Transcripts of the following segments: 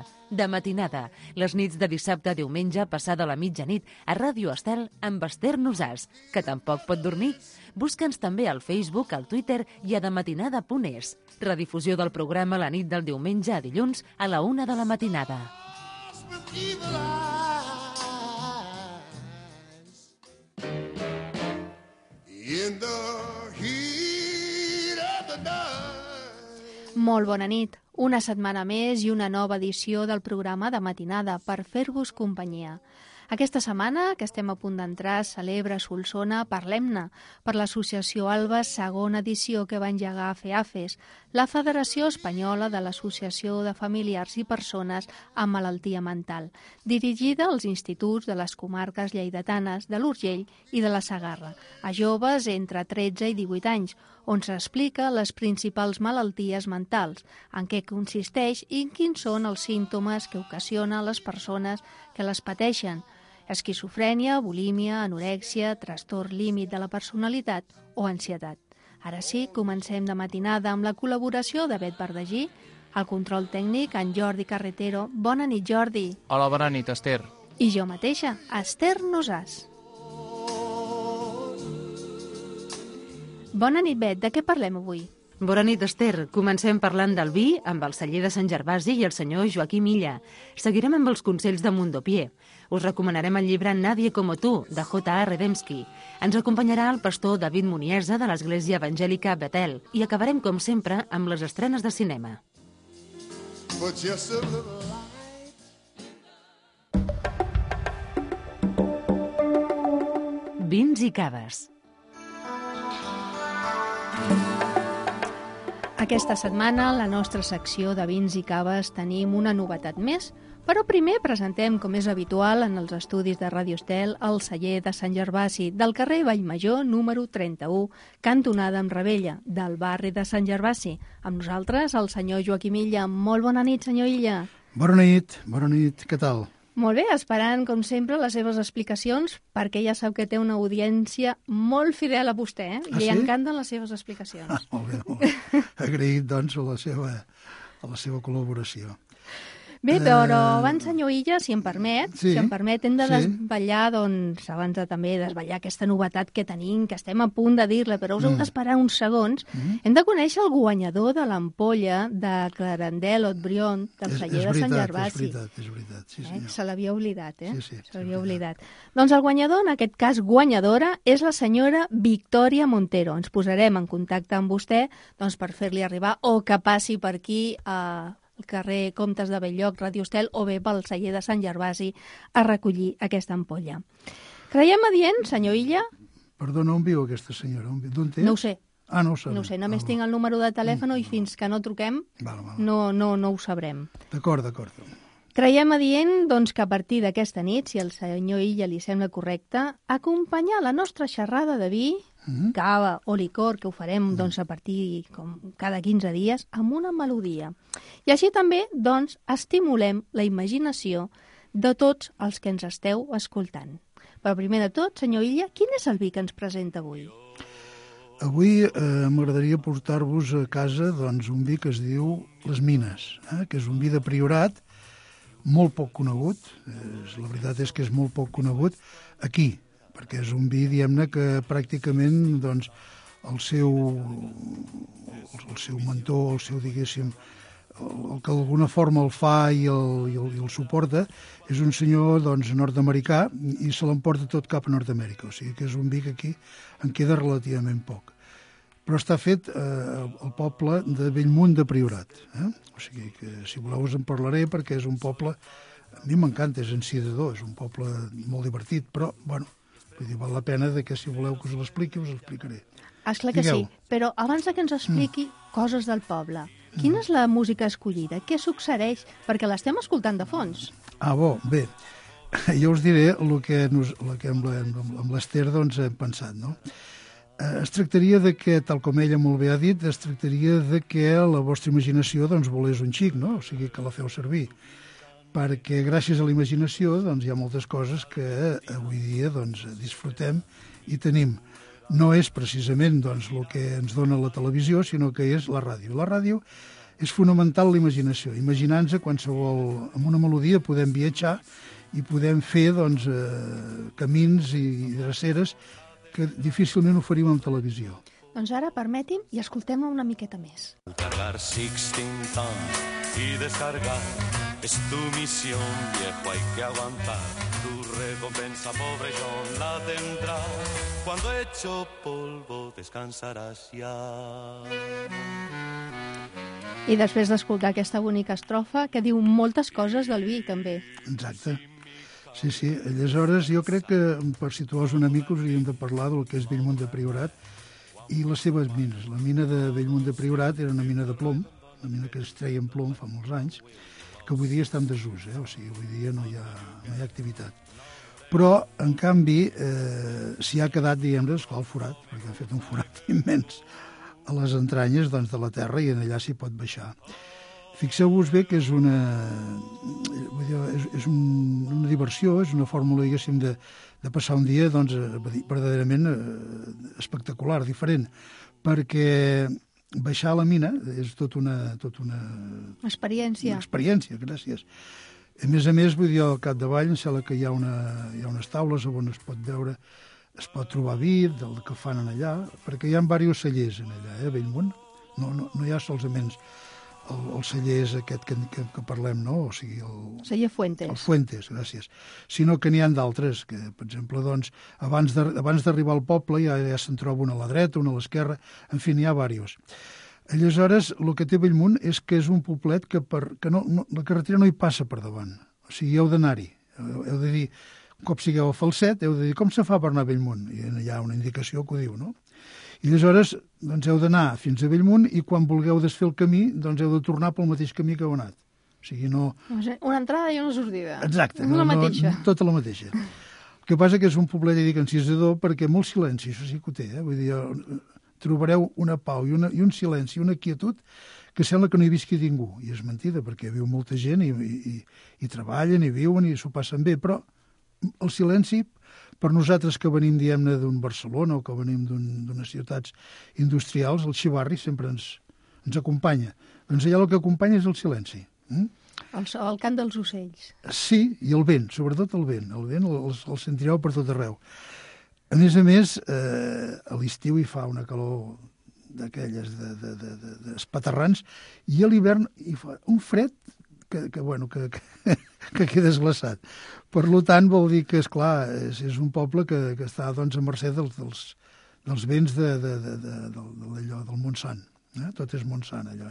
matinada. De matinada, les nits de dissabte a diumenge passada la mitjanit a Ràdio Estel amb Esther Nosàs, que tampoc pot dormir. Busca'ns també al Facebook, al Twitter i a dematinada.es. Redifusió del programa la nit del diumenge a dilluns a la 1 de la matinada. Molt bona nit. Una setmana més i una nova edició del programa de matinada per fer-vos companyia. Aquesta setmana, que estem a punt d'entrar, celebra Solsona Parlem-ne, per l'associació Alba, segona edició que va engegar FEAFES, la Federació Espanyola de l'Associació de Familiars i Persones amb Malaltia Mental, dirigida als instituts de les comarques lleidatanes de l'Urgell i de la Segarra, a joves entre 13 i 18 anys, on s'explica les principals malalties mentals, en què consisteix i quins són els símptomes que ocasiona a les persones que les pateixen: esquizofrènia, bulímia, anorèxia, trastorn límit de la personalitat o ansietat. Ara sí, comencem de matinada amb la col·laboració de Bet Verdagí, el control tècnic, en Jordi Carretero. Bona nit, Jordi. Hola, bona nit, Esther. I jo mateixa, Esther Nosàs. Bona nit, Bet. De què parlem avui? Bona nit, Esther. Comencem parlant del vi amb el celler de Sant Gervasi i el senyor Joaquim Illa. Seguirem amb els consells de Mundopié. Us recomanarem el llibre Nadie como tú, de J.A. Redemski. Ens acompanyarà el pastor David Muniesa de l'Església Evangèlica Betel. I acabarem, com sempre, amb les estrenes de cinema. Vins i caves. Aquesta setmana, a la nostra secció de vins i caves, tenim una novetat més, però primer presentem, com és habitual en els estudis de Ràdio Estel, el celler de Sant Gervasi, del carrer Vallmajor, número 31, cantonada amb Rebella, del barri de Sant Gervasi. Amb nosaltres, el senyor Joaquim Illa. Molt bona nit, senyor Illa. Bona nit, què tal? Molt bé, esperant, com sempre, les seves explicacions, perquè ja sap que té una audiència molt fidel a vostè, eh? Li encanten les seves explicacions. Molt bé. Agraït, doncs, a la seva col·laboració. Bé, però abans, senyor Illa, si em permet, hem de desvetllar, doncs, abans de també desvetllar aquesta novetat que tenim, que estem a punt de dir-la, però us heu d'esperar uns segons. Hem de conèixer el guanyador de l'ampolla de Clarendel Haut-Brion, del celler de Sant Gervasi. És veritat, sí senyor. Se l'havia oblidat, eh? Sí, se l'havia oblidat. Doncs el guanyador, en aquest cas guanyadora, és la senyora Victòria Montero. Ens posarem en contacte amb vostè, doncs, per fer-li arribar, o que passi per aquí al carrer Comtes de Belllloc, Ràdio Estel, o bé pel celler de Sant Gervasi a recollir aquesta ampolla. Creiem adient, senyor Illa? Perdona, on viu aquesta senyora? D'on té? No ho sé. Ah, no ho sabem. No ho sé, només tinc el número de telèfon i fins que no truquem no ho sabrem. D'acord. Creiem adient, doncs, que a partir d'aquesta nit, si el senyor Illa li sembla correcte, acompanyar la nostra xerrada de vi, cava o licor, que ho farem doncs, a partir com cada 15 dies, amb una melodia. I així també, doncs, estimulem la imaginació de tots els que ens esteu escoltant. Però primer de tot, senyor Illa, quin és el vi que ens presenta avui? Avui m'agradaria portar-vos a casa doncs, un vi que es diu Les Mines, que és un vi de Priorat, molt poc conegut, la veritat és que és molt poc conegut aquí, perquè és un vi, diguem-ne, que pràcticament doncs, el seu mentor, el seu, diguéssim, el que d'alguna forma el fa i el suporta, és un senyor doncs, nord-americà i se l'emporta tot cap a Nord-Amèrica, o sigui que és un vi que aquí en queda relativament poc. Però està fet al poble de Bellmunt de Priorat. O sigui que, si voleu, us en parlaré, perquè és un poble, a mi m'encanta, és encidador, és un poble molt divertit, però, bueno, vull dir, val la pena que, si voleu que us l'expliqui, us l'explicaré. Esclar que sí, però abans que ens expliqui coses del poble, quina és la música escollida? Què succeeix? Perquè l'estem escoltant de fons. Ah, bé, jo us diré el que amb l'Esther doncs, hem pensat, no? Es tractaria de que, tal com ella molt bé ha dit, es tractaria de que la vostra imaginació doncs, volés un xic, no? O sigui, que la feu servir. Perquè gràcies a la imaginació doncs, hi ha moltes coses que avui dia doncs, disfrutem i tenim. No és precisament doncs, el que ens dona la televisió, sinó que és la ràdio. La ràdio és fonamental la imaginació. Imaginant-se qualsevol... Amb una melodia podem viatjar i podem fer doncs, camins i dreceres que difícilment ho faríem en televisió. Doncs ara permeti'm i escoltem una miqueta més. Cargar Sixteen Ton y descargar es tu misión, viejo, hay que aguantar. Tu recompensa, pobre John, la tendrás. Cuando hecho polvo descansarás ya. I després d'escoltar aquesta bonica estrofa que diu moltes coses del vi, també. Exacte. Sí, sí. Aleshores, jo crec que per situar-vos una mica us hauríem de parlar del que és Bellmunt de Priorat i les seves mines. La mina de Bellmunt de Priorat era una mina de plom, una mina que es treia en plom fa molts anys, que avui dia està en desús, o sigui, avui dia no hi ha activitat. Però, en canvi, s'hi ha quedat, diguem-ne, esclar, el forat, perquè han fet un forat immens a les entranyes doncs, de la terra i en allà s'hi pot baixar. Fixeu-vos bé que és una diversió, és una fórmula, diguéssim, de passar un dia doncs, verdaderament espectacular, diferent, perquè baixar a la mina és tot una experiència. Una experiència, gràcies. A més, vull dir, al capdavall em sembla que hi ha unes taules on es pot veure, es pot trobar vi del que fan allà, perquè hi ha diversos cellers allà, a Bellmunt. No hi ha solament el celler és aquest que parlem, no? O sigui, celler Fuentes. El Fuentes, gràcies. Sinó que n'hi ha d'altres, que, per exemple, doncs, abans d'arribar al poble ja se'n troba una a la dreta, una a l'esquerra, en fi, n'hi ha diversos. Aleshores, el que té Bellmunt és que és un poblet que la carretera no hi passa per davant. O sigui, heu d'anar-hi. Heu de dir, un cop sigueu a Falset, heu de dir com se fa per anar a Bellmunt? I hi ha una indicació que ho diu, no? I aleshores doncs, heu d'anar fins a Bellmunt i quan vulgueu desfer el camí doncs heu de tornar pel mateix camí que heu anat. O sigui, no... Una entrada i una sortida. Exacte. La mateixa. Tota la mateixa. El que passa que és un poblet, dic, encisador perquè molt silenci, això sí que ho té. Vull dir, trobareu una pau i un silenci, una quietud que sembla que no hi visqui ningú. I és mentida, perquè viu molta gent i treballen i viuen i s'ho passen bé, però el silenci, per nosaltres que venim, diguem-ne, d'un Barcelona o que venim d'unes ciutats industrials, el xivarri sempre ens acompanya. Doncs allà el que acompanya és el silenci. El cant dels ocells. Sí, i el vent, sobretot el vent. El vent el sentireu per tot arreu. A més, a l'estiu hi fa una calor d'aquelles d'espaterrans i a l'hivern hi fa un fred que quedes glaçat. Per tant, vol dir que, esclar, és un poble que està doncs, a mercè dels vents del Montsant. Tot és Montsant, allò.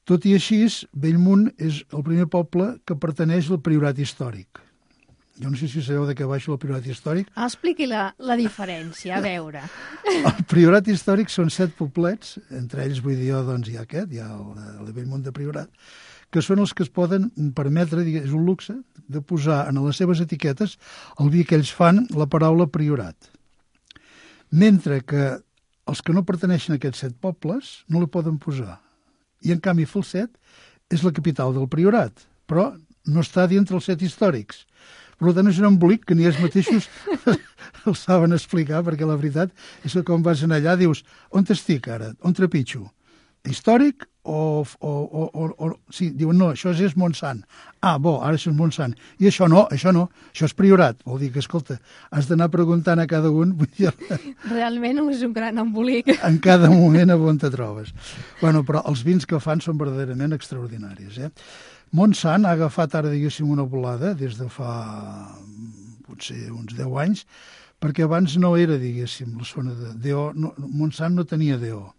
Tot i així, Bellmunt és el primer poble que pertaneix al Priorat històric. Jo no sé si sabeu de què baixo el Priorat històric. Expliqui la diferència, a veure. El Priorat històric són 7 poblets, entre ells, vull dir jo, doncs hi ha aquest, hi ha el de Bellmunt de Priorat, que són els que es poden permetre, és un luxe, de posar en les seves etiquetes el vi que ells fan la paraula Priorat. Mentre que els que no pertaneixen a aquests 7 pobles no la poden posar. I en canvi Falset és la capital del Priorat, però no està dintre els 7 històrics. Per tant, és un embolic que ni ells mateixos el saben explicar, perquè la veritat és que quan vas allà dius, on estic ara? On trepitjo? Històric sí, diuen, no, això és Montsant. Ah, bo, ara això és Montsant. I això no, això és Priorat. Vol dir que, escolta, has d'anar preguntant a cada un. Realment és un gran embolic. En cada moment a on te trobes. Bueno, però els vins que fan són verdaderament extraordinaris. Montsant ha agafat ara, diguéssim, una volada des de fa potser uns 10 anys, perquè abans no era, diguéssim, la zona de DO. Montsant no tenia DO.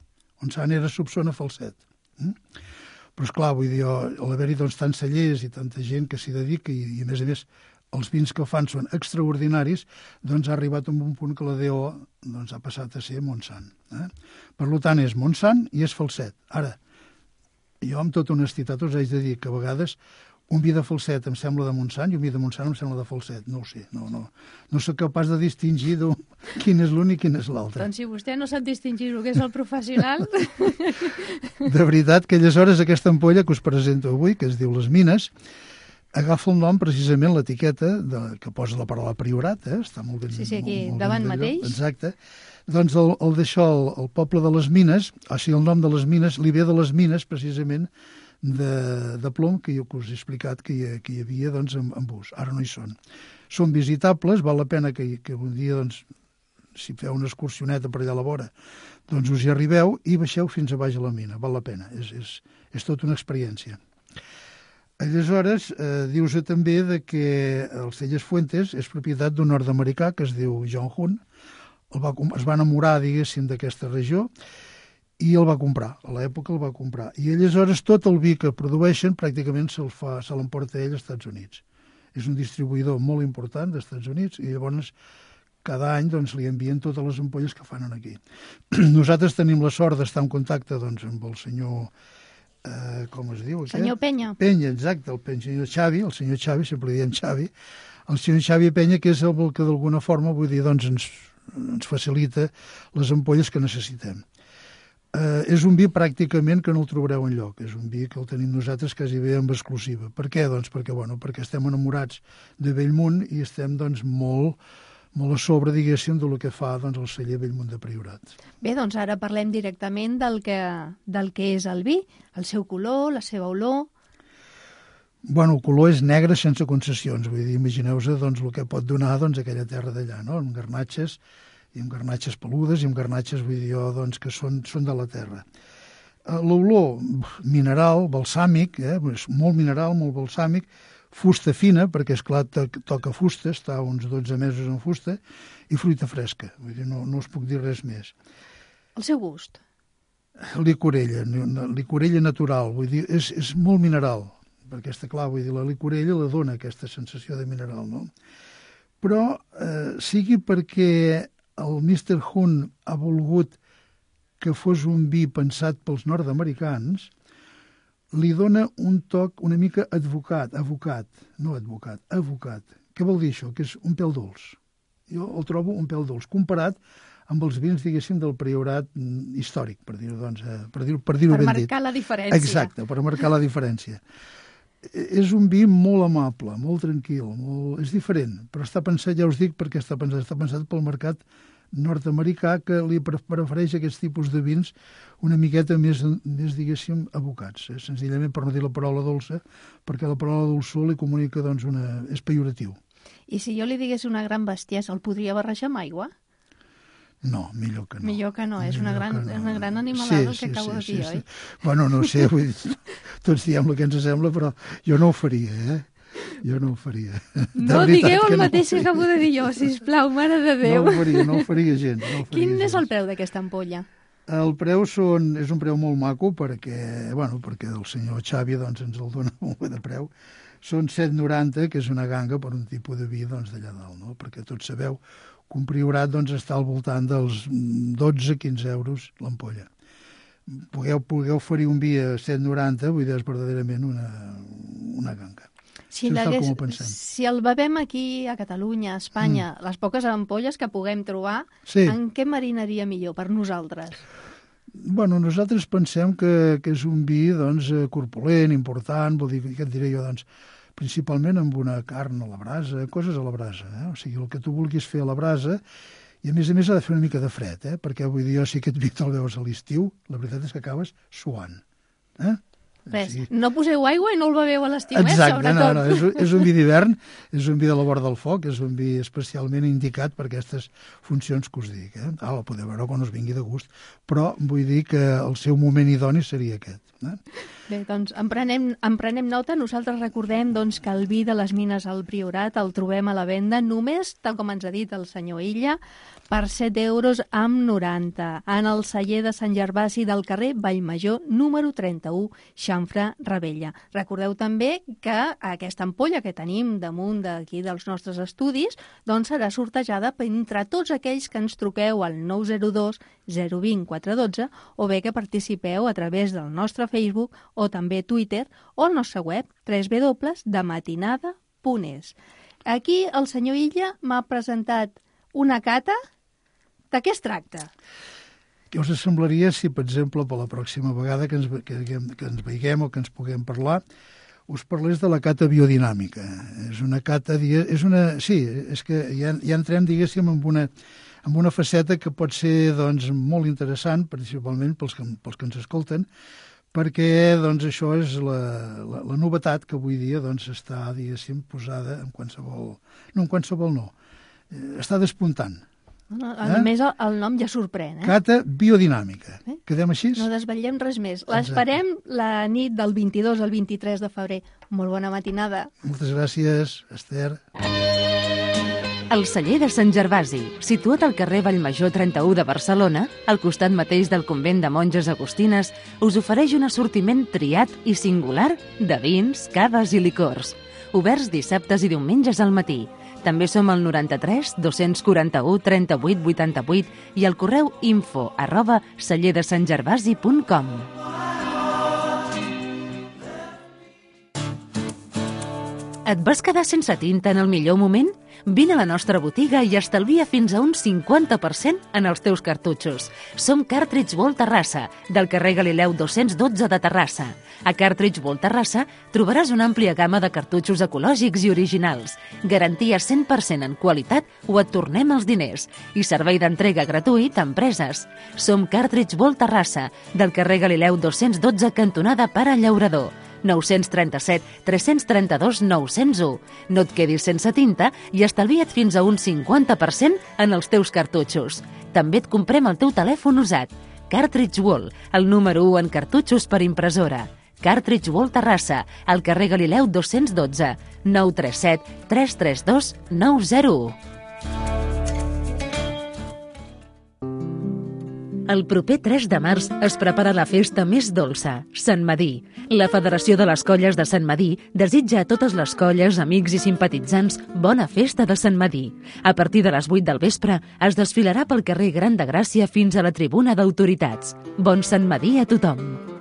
Montsant era subzona Falset. Però, esclar, vull dir, a l'haver-hi doncs, tants cellers i tanta gent que s'hi dedica i, a més, els vins que fan són extraordinaris, doncs ha arribat a un punt que la DO doncs, ha passat a ser Montsant. Per tant, és Montsant i és Falset. Ara, jo amb tota honestitat us haig de dir que a vegades un vi de Falset em sembla de Montsant i un vi de Montsant em sembla de Falset. No ho sé, no soc capaç de distingir quin és l'un i quin és l'altre. Doncs si vostè no sap distingir el que és el professional... De veritat que aleshores aquesta ampolla que us presento avui, que es diu Les Mines, Agafa el nom precisament l'etiqueta que posa la paraula Priorat, està molt ben... Sí, aquí, molt davant ben mateix. Exacte. Doncs el d'això, el poble de les mines, o sigui, el nom de les mines, li ve de les mines, precisament, de plom, que jo us he explicat que hi havia doncs, en bus. Ara no hi són. Són visitables, val la pena que un dia, doncs, si feu una excursioneta per allà a la vora, doncs us hi arribeu i baixeu fins a baix a la mina, val la pena. És tota una experiència. Aleshores, dius també que el Celles Fuentes és propietat d'un nord-americà que es diu John Hunt. Es va enamorar, diguéssim, d'aquesta regió i el va comprar. A l'època el va comprar. I aleshores tot el vi que produeixen pràcticament se l'emporta ell als Estats Units. És un distribuïdor molt important dels Estats Units i llavors cada any doncs, li envien totes les ampolles que fan aquí. Nosaltres tenim la sort d'estar en contacte doncs, amb el senyor... com es diu? Senyor Penya. Penya, exacte, el senyor Xavi, sempre li diem Xavi, el senyor Xavi Penya, que és el que d'alguna forma, vull dir, doncs ens facilita les ampolles que necessitem. És un vi pràcticament que no el trobareu enlloc, és un vi que el tenim nosaltres quasi bé amb exclusiva. Per què? Doncs perquè estem enamorats de Bellmunt i estem doncs molt a sobre, diguéssim, del que fa doncs, el celler Bellmunt de Priorat. Bé, doncs ara parlem directament del que és el vi, el seu color, la seva olor... Bueno, el color és negre sense concessions, vull dir, imagineu-vos doncs, el que pot donar doncs, aquella terra d'allà, no? Amb garnatxes, i amb garnatxes peludes, i amb garnatxes, vull dir jo, doncs, que són de la terra. L'olor mineral, balsàmic, molt mineral, molt balsàmic, fusta fina, perquè, esclar, toca fusta, està uns 12 mesos en fusta, i fruita fresca. Vull dir, no us puc dir res més. El seu gust? Licorella natural, vull dir, és molt mineral, perquè està clar, vull dir, la licorella la dona aquesta sensació de mineral, no? Però sigui perquè el Mr. Hunt ha volgut que fos un vi pensat pels nord-americans, li dona un toc una mica avocat. Què vol dir això? Que és un pèl dolç. Jo el trobo un pèl dolç, comparat amb els vins, diguéssim, del Priorat històric, per dir-ho doncs, per dir-ho ben dit. Per marcar la diferència. Exacte, per marcar la diferència. És un vi molt amable, molt tranquil, és diferent, però està pensat, ja us dic, perquè està pensat pel mercat nord-americà, que li prefereix aquests tipus de vins una miqueta més diguéssim, abocats. Senzillament per no dir la paraula dolça, perquè la paraula dolçor li comunica, doncs, és pejoratiu. I si jo li digués una gran bestiesa, el podria barrejar amb aigua? No, millor que no. Millor que no, és una gran animalada el que acabo de dir, oi? Bueno, no sé, vull dir, tots diem el que ens sembla, però jo no ho faria, Jo no ho faria. No digueu el mateix que acabo de dir jo, sisplau, mare de Déu. No ho faria gens. Quin és el preu d'aquesta ampolla? El preu és un preu molt maco perquè el senyor Xavi doncs, ens el dona molt bé de preu. Són 7,90, que és una ganga per un tipus de vi doncs, d'allà dalt, no? Perquè tots sabeu que un Priorat doncs, està al voltant dels 12-15 euros l'ampolla. Pugueu oferir un vi a 7,90, vull dir, és verdaderament una ganga. Si el bevem aquí a Catalunya, a Espanya, les poques ampolles que puguem trobar, en què marinaria millor per nosaltres? Bueno, nosaltres pensem que és un vi doncs, corpulent, important, vol dir, què et diré jo, doncs, principalment amb una carn a la brasa, coses a la brasa, O sigui, el que tu vulguis fer a la brasa, i a més ha de fer una mica de fred, perquè vull dir, si aquest vi te'l veus a l'estiu, la veritat és que acabes suant, Res, no poseu aigua i no el beveu a l'estiu, sobretot. No, és un vi d'hivern, és un vi de la vora del foc, és un vi especialment indicat per aquestes funcions que us dic. El podeu veure quan us vingui de gust, però vull dir que el seu moment idoni seria aquest. Bé, doncs en prenem nota. Nosaltres recordem doncs, que el vi de les mines al Priorat el trobem a la venda només, tal com ens ha dit el senyor Illa, per 7,90 € en el celler de Sant Gervasi del carrer Vallmajor, número 31, Xamfrà, Ravella. Recordeu també que aquesta ampolla que tenim damunt d'aquí dels nostres estudis doncs serà sortejada entre tots aquells que ens truqueu al 902 020 412 o bé que participeu a través del nostre Facebook o també Twitter o al nostre web www.dematinada.es. Aquí el senyor Illa m'ha presentat una cata. De què es tracta? Què us semblaria si, per exemple, per la pròxima vegada que ens veiguem o que ens puguem parlar, us parlés de la cata biodinàmica. És una cata... Sí, és que ja entrem, diguéssim, en una faceta que pot ser doncs, molt interessant, principalment pels que ens escolten, perquè doncs, això és la novetat que avui dia doncs, està, diguéssim, posada en qualsevol... No, en qualsevol no. Està despuntant. Només el nom ja sorprèn, Cata biodinàmica. Quedem així? No desvetllem res més. L'esperem la nit del 22 al 23 de febrer. Molt bona matinada. Moltes gràcies, Esther. El celler de Sant Gervasi, situat al carrer Vallmajor 31 de Barcelona, al costat mateix del convent de monges agustines, us ofereix un assortiment triat i singular de vins, caves i licors. Oberts dissabtes i diumenges al matí. També som al 93 241 38 88 i al correu info@celledesantgervasi.com. Et vas quedar sense tinta en el millor moment? Vine a la nostra botiga i estalvia fins a un 50% en els teus cartutxos. Som Cartridge World Terrassa, del carrer Galileu 212 de Terrassa. A Cartridge World Terrassa trobaràs una àmplia gamma de cartutxos ecològics i originals, garantia 100% en qualitat o et tornem els diners, i servei d'entrega gratuït a empreses. Som Cartridge World Terrassa, del carrer Galileu 212 cantonada Pare Llaurador. 937 332 901. No et quedis sense tinta i estalvia't fins a un 50% en els teus cartutxos. També et comprem el teu telèfon usat. Cartridge World, el número 1 en cartutxos per impressora. Cartridge World Terrassa, al carrer Galileu 212, 937 332 901. El proper 3 de març es prepara la festa més dolça, Sant Madí. La Federació de les Colles de Sant Madí desitja a totes les colles, amics i simpatitzants bona festa de Sant Madí. A partir de les 8 del vespre es desfilarà pel carrer Gran de Gràcia fins a la tribuna d'autoritats. Bon Sant Madí a tothom!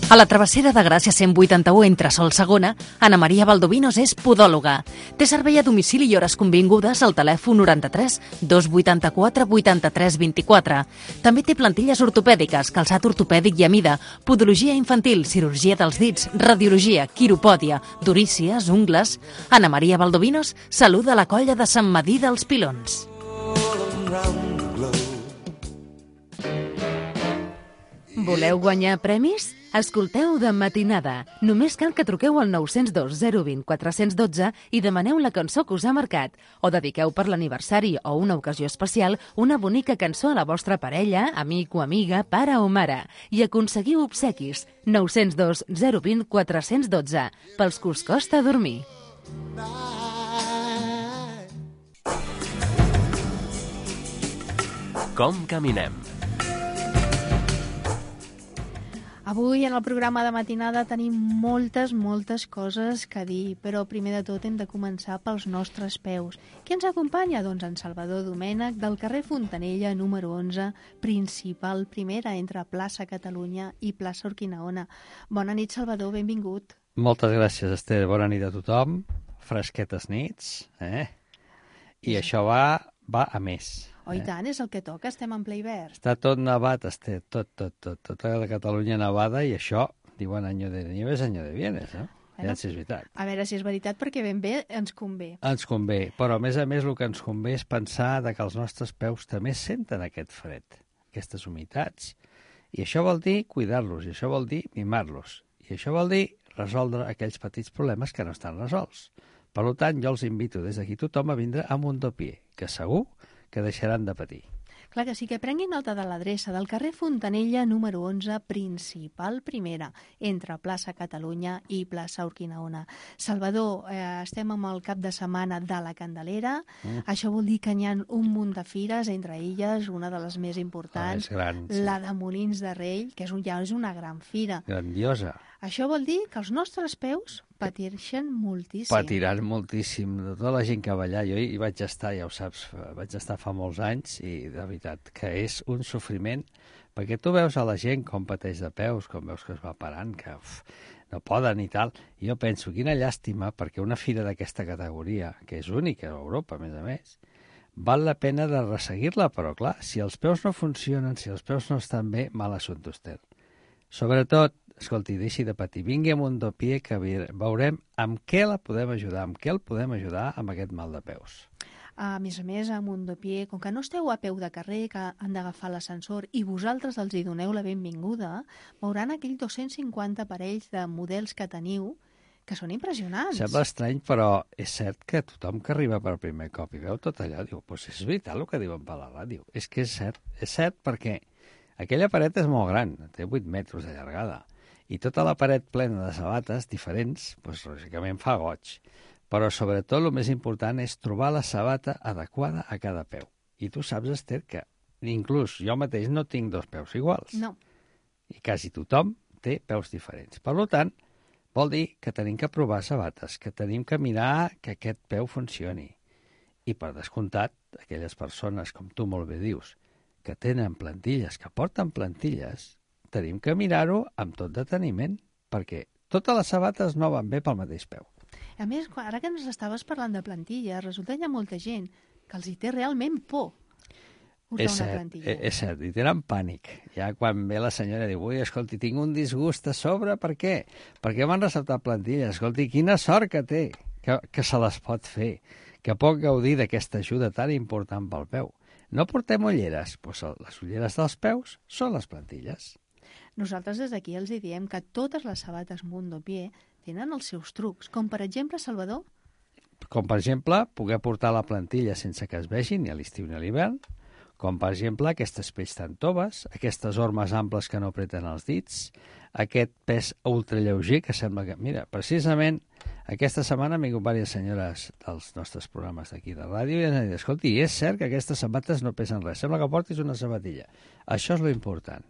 A la travessera de Gràcia 181 entre Sol Segona, Ana Maria Valdovinos és podòloga. Té servei a domicili i hores convingudes al telèfon 93 284 83 24. També té plantilles ortopèdiques, calçat ortopèdic i a mida, podologia infantil, cirurgia dels dits, radiologia, quiropòdia, durícies, ungles. Ana Maria Valdovinos saluda la colla de Sant Madí dels Pilons. Voleu guanyar premis? Escolteu De Matinada. Només cal que truqueu al 902 020 412 i demaneu la cançó que us ha marcat. O dediqueu per l'aniversari o una ocasió especial una bonica cançó a la vostra parella, amic o amiga, pare o mare. I aconseguiu obsequis. 902 020 412. Pels que us costa dormir. Com caminem? Avui en el programa de matinada tenim moltes coses que dir, però primer de tot hem de començar pels nostres peus. Qui ens acompanya? Doncs en Salvador Domènech, del carrer Fontanella, número 11, principal primera, entre Plaça Catalunya i Plaça Urquinaona. Bona nit, Salvador, benvingut. Moltes gràcies, Esther. Bona nit a tothom. Fresquetes nits, I això va a més. Oh, i tant, és el que toca, estem en ple hivern. Està tot nevat, Esther, tot. Tota la Catalunya nevada i això, diuen año de nieves, año de bienes, no? Ja si és veritat. A veure si és veritat, perquè ben bé ens convé. Ens convé, però a més el que ens convé és pensar que els nostres peus també senten aquest fred, aquestes humitats. I això vol dir cuidar-los, i això vol dir mimar-los. I això vol dir resoldre aquells petits problemes que no estan resolts. Per tant, jo els invito des d'aquí tothom a vindre a Mondopié, que segur que deixaran de patir. Clar que sí, que prenguin nota de l'adreça del carrer Fontanella, número 11, principal primera, entre Plaça Catalunya i Plaça Urquinaona. Salvador, estem amb el cap de setmana de la Candelera. Això vol dir que hi ha un munt de fires, entre elles una de les més importants, la de Molins de Rei, que ja és una gran fira. Grandiosa. Això vol dir que els nostres peus patirien moltíssim. Patiran moltíssim. De tota la gent que va allà, jo hi vaig estar, ja ho saps, vaig estar fa molts anys i de veritat que és un sofriment, perquè tu veus a la gent com pateix de peus, com veus que es va parant, que no poden i tal. I jo penso, quina llàstima, perquè una fira d'aquesta categoria, que és única a Europa, a més, val la pena de resseguir-la, però clar, si els peus no funcionen, si els peus no estan bé, mal assumpte, Esther. Sobretot, escolti, deixi de patir. Vingui a Mundopié, que veurem amb què la podem ajudar, amb què el podem ajudar amb aquest mal de peus. A més, a Mundopié, com que no esteu a peu de carrer, que han d'agafar l'ascensor, i vosaltres els hi doneu la benvinguda, veuran aquells 250 parells de models que teniu, que són impressionants. Sembla estrany, però és cert que tothom que arriba per primer cop i veu tot allò, diu, doncs és veritat el que diuen per la ràdio. És que és cert perquè aquella paret és molt gran, té 8 metres de llargada, i tota la paret plena de sabates diferents, doncs lògicament fa goig. Però sobretot el més important és trobar la sabata adequada a cada peu. I tu saps, Esther, que inclús jo mateix no tinc 2 peus iguals. No. I quasi tothom té peus diferents. Per tant, vol dir que tenim que provar sabates, que tenim que mirar que aquest peu funcioni. I per descomptat, aquelles persones, com tu molt bé dius, que tenen plantilles, que porten plantilles, tenim que mirar-ho amb tot deteniment, perquè totes les sabates no van bé pel mateix peu. A més, ara que ens estaves parlant de plantilles, resulta que hi ha molta gent que els hi té realment por usar una plantilla. És cert, i tenen pànic. Ja quan ve la senyora i diu, ui, escolti, tinc un disgust a sobre, per què? Perquè m'han receptat plantilles. Escolti, quina sort que té, que se les pot fer, que pot gaudir d'aquesta ajuda tan important pel peu. No portem ulleres? Doncs les ulleres dels peus són les plantilles. Nosaltres des d'aquí els diem que totes les sabates Mundopié tenen els seus trucs, com per exemple, Salvador? Com per exemple, poder portar la plantilla sense que es vegi ni a l'estiu ni a l'hivern, com per exemple aquestes pells tan toves, aquestes ormes amples que no apreten els dits, aquest pes ultralleuger que sembla que... Mira, precisament aquesta setmana han vingut diverses senyores dels nostres programes d'aquí de ràdio i han dit, escolti, és cert que aquestes sabates no pesen res, sembla que portis una sabatilla. Això és lo important,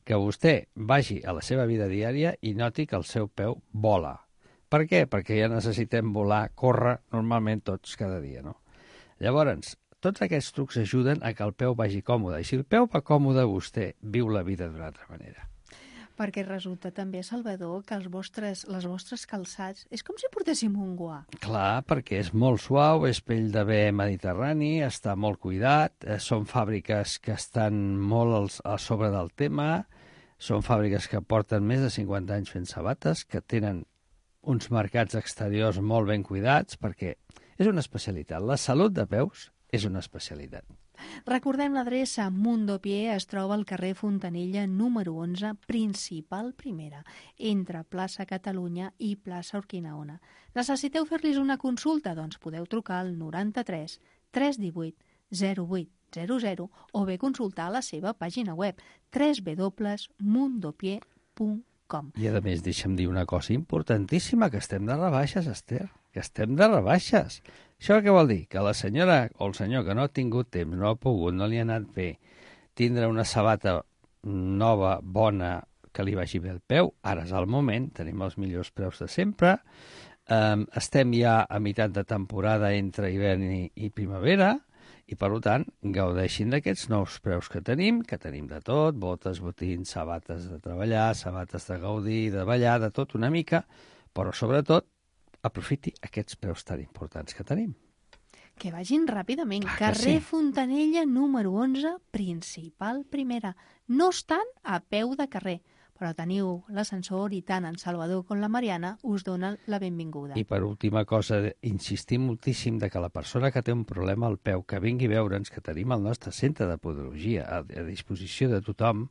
que vostè vagi a la seva vida diària i noti que el seu peu vola. Per què? Perquè ja necessitem volar, córrer, normalment tots cada dia, no? Llavors, tots aquests trucs ajuden a que el peu vagi còmode. I si el peu va còmode, vostè viu la vida d'una altra manera. Perquè resulta també, Salvador, que les vostres calçats és com si portéssim un guà. Clar, perquè és molt suau, és pell de bé mediterrani, està molt cuidat, són fàbriques que estan molt a sobre del tema, són fàbriques que porten més de 50 anys fent sabates, que tenen uns mercats exteriors molt ben cuidats, perquè és una especialitat. La salut de peus és una especialitat. Recordem l'adreça. Mundopié es troba al carrer Fontanella número 11, principal primera, entre plaça Catalunya i plaça Urquinaona. Necessiteu fer-los una consulta? Doncs podeu trucar al 93 318 0800 o bé consultar la seva pàgina web www.mundopié.com. I a més, deixa'm dir una cosa importantíssima, que estem de rebaixes, Esther, que estem de rebaixes. Això què vol dir? Que la senyora o el senyor que no ha tingut temps, no ha pogut, no li ha anat bé, tindre una sabata nova, bona, que li vagi bé el peu, ara és el moment, tenim els millors preus de sempre, estem ja a meitat de temporada entre hivern i primavera, i per tant gaudeixin d'aquests nous preus que tenim de tot, botes, botins, sabates de treballar, sabates de gaudir, de ballar, de tot una mica, però sobretot aprofiti aquests preus tan importants que tenim. Que vagin ràpidament. Clar que Carrer sí. Fontanella número 11, principal primera. No estan a peu de carrer, però teniu l'ascensor i tant en Salvador com la Mariana us donen la benvinguda. I per última cosa, insistim moltíssim de que la persona que té un problema al peu, que vingui a veure'ns, que tenim el nostre centre de podologia a disposició de tothom,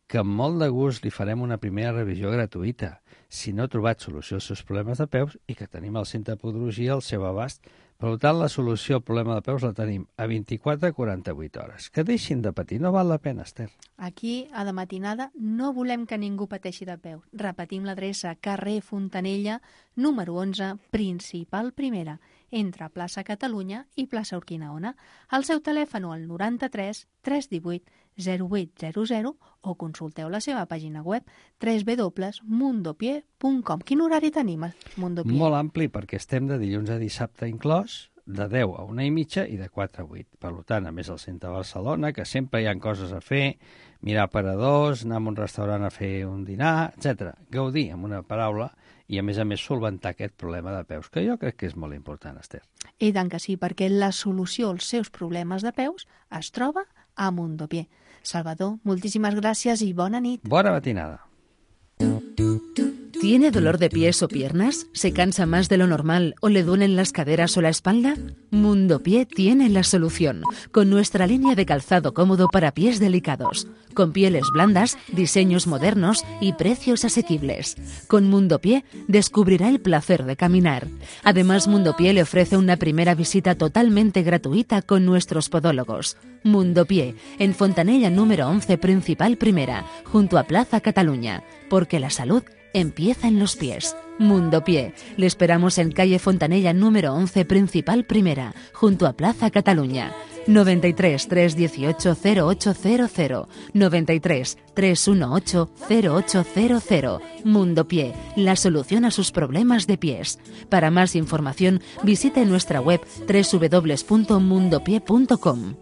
que amb molt de gust li farem una primera revisió gratuïta si no ha trobat solució als seus problemes de peus i que tenim el centre de podologia al seu abast. Per tant, la solució al problema de peus la tenim a 24 a 48 hores. Que deixin de patir, no val la pena, Esther. Aquí, a de matinada, no volem que ningú pateixi de peus. Repetim l'adreça, carrer Fontanella, número 11, principal primera, entre plaça Catalunya i plaça Urquinaona. El seu telèfon al 93 318 0800 o consulteu la seva pàgina web www.mundopié.com. Quin horari tenim a Mundopié? Molt ampli, perquè estem de dilluns a dissabte inclòs, de 10 a 1:30 i de 4 a 8. Per tant, a més al centre de Barcelona, que sempre hi ha coses a fer, mirar aparadors, anar a un restaurant a fer un dinar, etc. Gaudir, amb una paraula, i a més solventar aquest problema de peus, que jo crec que és molt important, Esther. I tant que sí, perquè la solució als seus problemes de peus es troba a Mundopié. Salvador, moltíssimes gràcies i bona nit. Bona matinada. ¿Tiene dolor de pies o piernas? ¿Se cansa más de lo normal o le duelen las caderas o la espalda? Mundo Pie tiene la solución, con nuestra línea de calzado cómodo para pies delicados, con pieles blandas, diseños modernos y precios asequibles. Con Mundo Pie descubrirá el placer de caminar. Además, Mundo Pie le ofrece una primera visita totalmente gratuita con nuestros podólogos. Mundo Pie, en Fontanella número 11, Principal Primera, junto a Plaza Cataluña, porque la salud empieza en los pies. Mundo Pie. Le esperamos en calle Fontanella número 11, Principal Primera, junto a Plaza Cataluña. 93 318 0800 93 318 0800. Mundo Pie, la solución a sus problemas de pies. Para más información, visite nuestra web www.mundopie.com.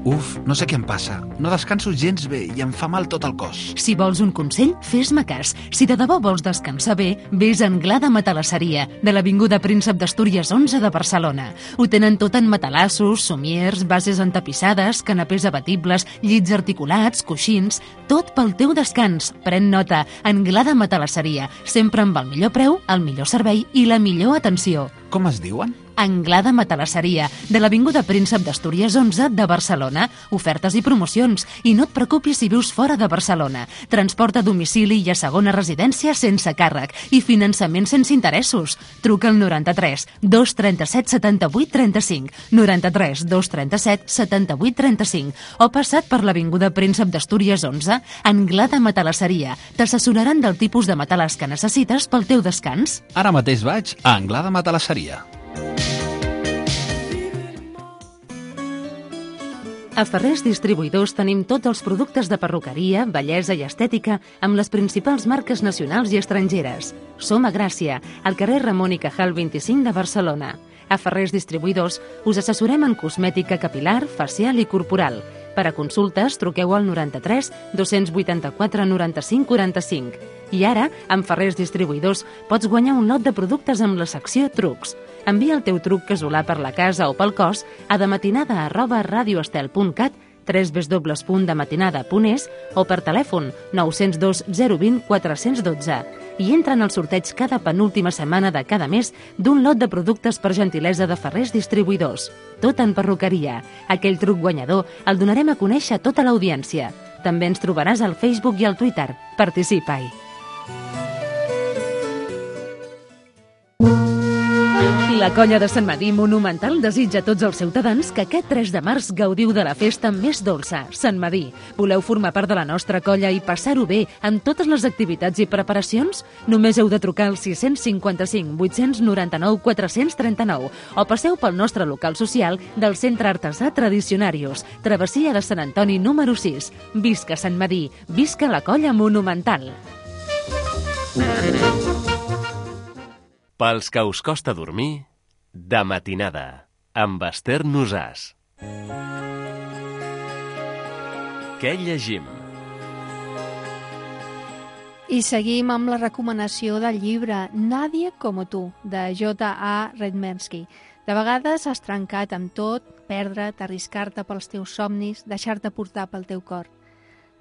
Uf, no sé què em passa. No descanso gens bé i em fa mal tot el cos. Si vols un consell, fes-me cas. Si de debò vols descansar bé, vés a Anglada Matalasseria, de l'Avinguda Príncep d'Astúries 11 de Barcelona. Ho tenen tot en matalassos, somiers, bases entapissades, canapés abatibles, llits articulats, coixins... Tot pel teu descans. Pren nota. Anglada Matalasseria, sempre amb el millor preu, el millor servei i la millor atenció. Com es diuen? Anglada Matalasseria, de l'Avinguda Príncep d'Astúries 11 de Barcelona. Ofertes i promocions. I no et preocupis si vius fora de Barcelona. Transport a domicili i a segona residència sense càrrec. I finançament sense interessos. Truca al 93 237 78 35, 93 237 78 35, o passa't per l'Avinguda Príncep d'Astúries 11, Anglada Matalasseria. T'assessoraran del tipus de matalàs que necessites pel teu descans. Ara mateix vaig a Anglada Matalasseria. A Ferrers Distribuïdors tenim tots els productes de perruqueria, bellesa i estètica amb les principals marques nacionals i estrangeres. Som a Gràcia, al carrer Ramon i Cajal 25 de Barcelona. A Ferrers Distribuïdors us assessorem en cosmètica capilar, facial i corporal. Per a consultes, truqueu al 93 284 95 45. I ara, amb Ferrers Distribuïdors, pots guanyar un lot de productes amb la secció Trucs. Envia el teu truc casolà per la casa o pel cos a dematinada@radioestel.cat, www.dematinada.es o per telèfon 902 020 412 i entra en el sorteig cada penúltima setmana de cada mes d'un lot de productes per gentilesa de Ferrers Distribuïdors. Tot en perruqueria. Aquell truc guanyador el donarem a conèixer a tota l'audiència. També ens trobaràs al Facebook i al Twitter. Participa-hi. La colla de Sant Madí Monumental desitja a tots els ciutadans que aquest 3 de març gaudiu de la festa més dolça, Sant Madí. Voleu formar part de la nostra colla i passar-ho bé amb totes les activitats i preparacions? Només heu de trucar al 655 899 439 o passeu pel nostre local social del Centre Artesà Tradicionarius, travessia de Sant Antoni número 6. Visca Sant Madí, visca la colla Monumental. Pels que us costa dormir, de matinada, amb Esther Nosàs. Què llegim? I seguim amb la recomanació del llibre Nadie como tu, de J.A. Redmersky. De vegades has trencat amb tot, perdre't, arriscar-te pels teus somnis, deixar-te portar pel teu cor.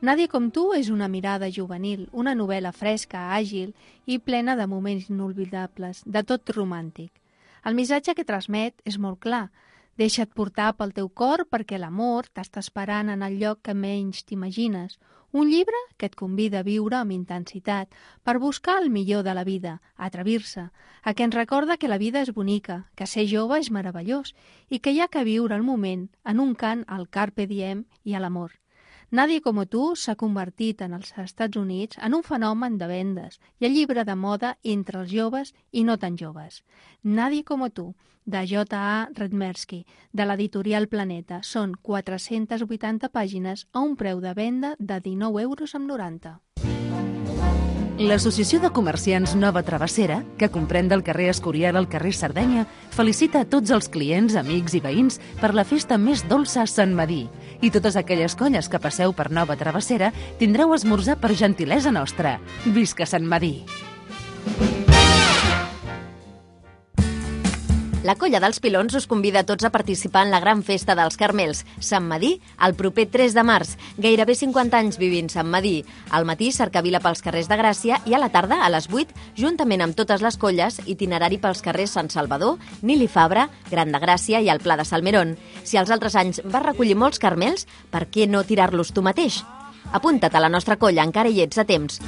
Nadie com tu és una mirada juvenil, una novel·la fresca, àgil i plena de moments inolvidables, de tot romàntic. El missatge que transmet és molt clar. Deixa't portar pel teu cor perquè l'amor t'està esperant en el lloc que menys t'imagines. Un llibre que et convida a viure amb intensitat, per buscar el millor de la vida, a atrevir-se, a que ens recorda que la vida és bonica, que ser jove és meravellós i que hi ha que viure el moment en un cant al carpe diem i a l'amor. Nadie como tu s'ha convertit en els Estats Units en un fenomen de vendes i el llibre de moda entre els joves i no tan joves. Nadie como tu, de J.A. Redmersky, de l'editorial Planeta. Són 480 pàgines a un preu de venda de 19,90 €. L'Associació de Comerciants Nova Travessera, que comprèn del carrer Escorial al carrer Sardenya, felicita a tots els clients, amics i veïns per la festa més dolça a Sant Madí. I totes aquelles colles que passeu per Nova Travessera tindreu esmorzar per gentilesa nostra. Visca Sant Madí! La Colla dels Pilons us convida a tots a participar en la gran festa dels Carmels, Sant Madí, el proper 3 de març. Gairebé 50 anys vivint Sant Madí. Al matí, cercavila pels carrers de Gràcia i a la tarda, a les 8, juntament amb totes les colles, itinerari pels carrers Sant Salvador, Nili Fabra, Gran de Gràcia i el Pla de Salmerón. Si els altres anys vas recollir molts carmels, per què no tirar-los tu mateix? Apunta't a la nostra colla, encara hi ets a temps.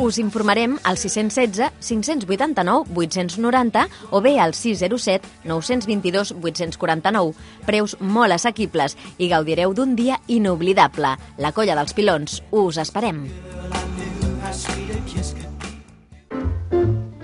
Us informarem al 616 589 890 o bé al 607 922 849. Preus molt assequibles i gaudireu d'un dia inoblidable. La Colla dels Pilons. Us esperem.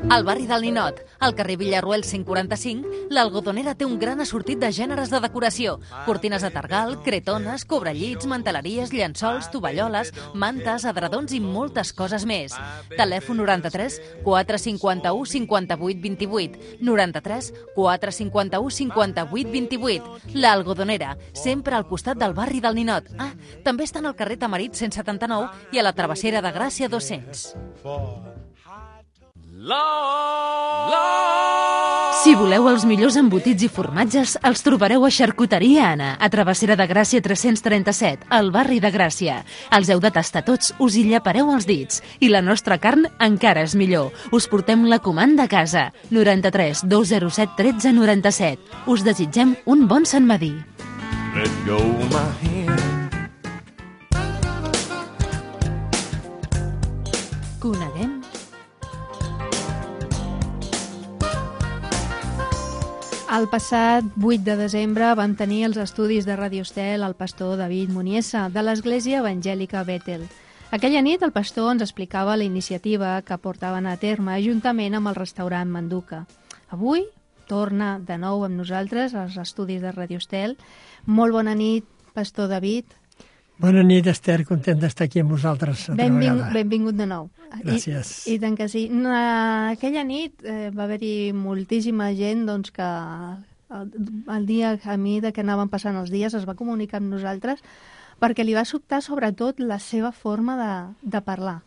Al barri del Ninot, al carrer Villarroel 145, l'Algodonera té un gran assortit de gèneres de decoració. Cortines de targal, cretones, cobrellits, manteleries, llençols, tovalloles, mantes, edredons i moltes coses més. Telèfon 93 451 58 28. 93 451 58 28. L'Algodonera, sempre al costat del barri del Ninot. Ah, també estan al carrer Tamarit 179 i a la Travessera de Gràcia 200. Si voleu els millors embotits i formatges, els trobareu a Xarcuteria Anna, a Travessera de Gràcia 337, al barri de Gràcia. Els heu de tastar tots, us hi llapareu els dits. I la nostra carn encara és millor. Us portem la comanda a casa. 93 207 13 97. Us desitgem un bon Sant Madí. Let go my hand. Coneguem El passat 8 de desembre vam tenir els estudis de Radio Estel el pastor David Muniesa, de l'Església Evangèlica Bètel. Aquella nit el pastor ens explicava la iniciativa que portaven a terme juntament amb el restaurant Manduca. Avui torna de nou amb nosaltres als estudis de Radio Estel. Molt bona nit, pastor David. Bona nit, Esther, content d'estar aquí amb vosaltres altra vegada. Benvingut de nou. Gràcies. I tant que sí. Aquella nit va haver-hi moltíssima gent doncs, que el dia, a mesura que anaven passant els dies, es va comunicar amb nosaltres perquè li va sobtar sobretot la seva forma de parlar.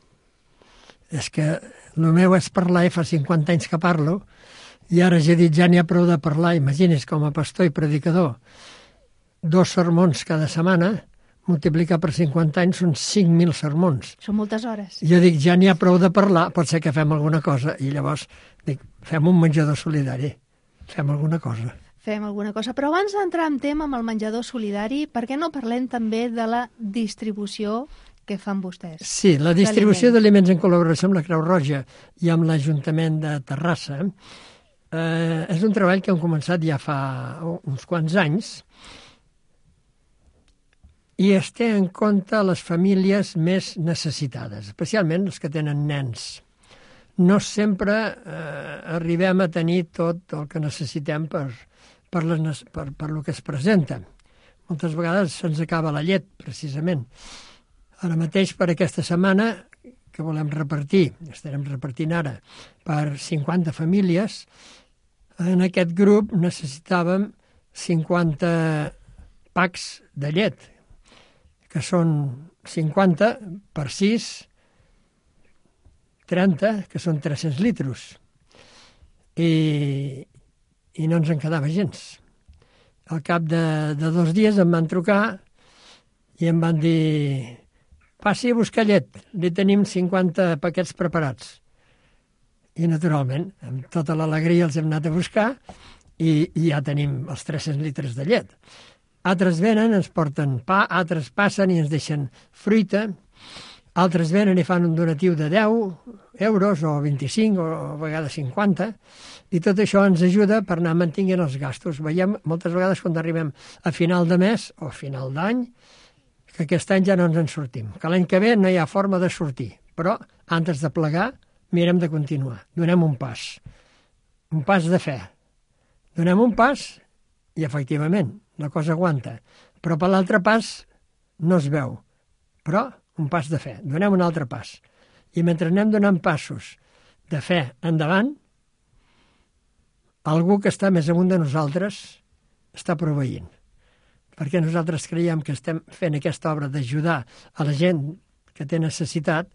És que el meu és parlar i fa 50 anys que parlo i ara ja he dit ja n'hi ha prou de parlar. Imagini's, com a pastor i predicador, 2 sermons cada setmana, multiplicar per 50 anys són 5.000 sermons. Són moltes hores. Jo dic, ja n'hi ha prou de parlar, pot ser que fem alguna cosa. I llavors dic, fem un menjador solidari, fem alguna cosa. Fem alguna cosa. Però abans d'entrar en tema amb el menjador solidari, per què no parlem també de la distribució que fan vostès? Sí, la distribució d'aliments en col·laboració amb la Creu Roja i amb l'Ajuntament de Terrassa és un treball que hem començat ja fa uns quants anys, i es té en compte les famílies més necessitades, especialment els que tenen nens. No sempre arribem a tenir tot el que necessitem per lo que es presenta. Moltes vegades se'ns acaba la llet, precisament. Ara mateix, per aquesta setmana, que volem repartir, estarem repartint ara, per 50 famílies, en aquest grup necessitàvem 50 packs de llet, que són 50 per 6, 30, que són 300 litres. I no ens en quedava gens. Al cap de 2 dies em van trucar i em van dir: passi a buscar llet, li tenim 50 paquets preparats. I naturalment, amb tota l'alegria els hem anat a buscar i ja tenim els 300 litres de llet. Altres venen, ens porten pa, altres passen i ens deixen fruita, altres venen i fan un donatiu de 10 euros o 25 o a vegades 50, i tot això ens ajuda per anar mantenint els gastos. Veiem moltes vegades quan arribem a final de mes o a final d'any que aquest any ja no ens en sortim, que l'any que ve no hi ha forma de sortir, però antes de plegar mirem de continuar, donem un pas de fe, donem un pas i efectivament la cosa aguanta, però per l'altre pas no es veu, però un pas de fe, donem un altre pas. I mentre anem donant passos de fe endavant, algú que està més amunt de nosaltres està proveint. Perquè nosaltres creiem que estem fent aquesta obra d'ajudar a la gent que té necessitat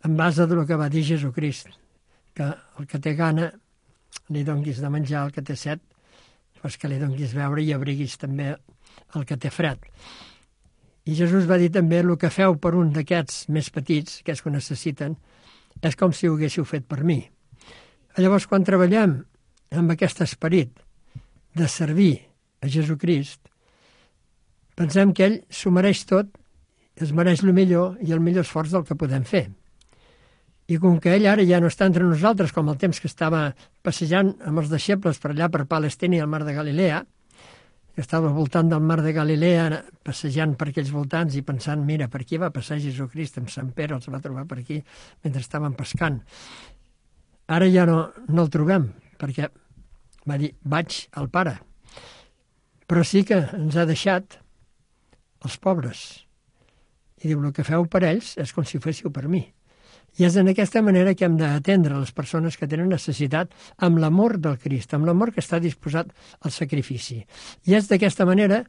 en base del que va dir Jesucrist, que el que té gana li donguis de menjar al que té set, doncs que li donguis beure i abriguis també el que té fred. I Jesús va dir també, el que feu per un d'aquests més petits, aquests que ho necessiten, és com si ho haguéssiu fet per mi. Llavors, quan treballem amb aquest esperit de servir a Jesucrist, pensem que ell s'ho mereix tot, es mereix el millor i el millor esforç del que podem fer. I com que ell ara ja no està entre nosaltres, com el temps que estava passejant amb els deixebles per allà per Palestina i el mar de Galilea, que estava al voltant del mar de Galilea, passejant per aquells voltants i pensant, mira, per aquí va passar Jesucrist, amb Sant Pere els va trobar per aquí mentre estaven pescant. Ara ja no el trobem, perquè va dir, vaig al Pare. Però sí que ens ha deixat els pobres. I diu, el que feu per ells és com si ho féssiu per mi. I és en aquesta manera que hem d'atendre les persones que tenen necessitat amb l'amor del Crist, amb l'amor que està disposat al sacrifici. I és d'aquesta manera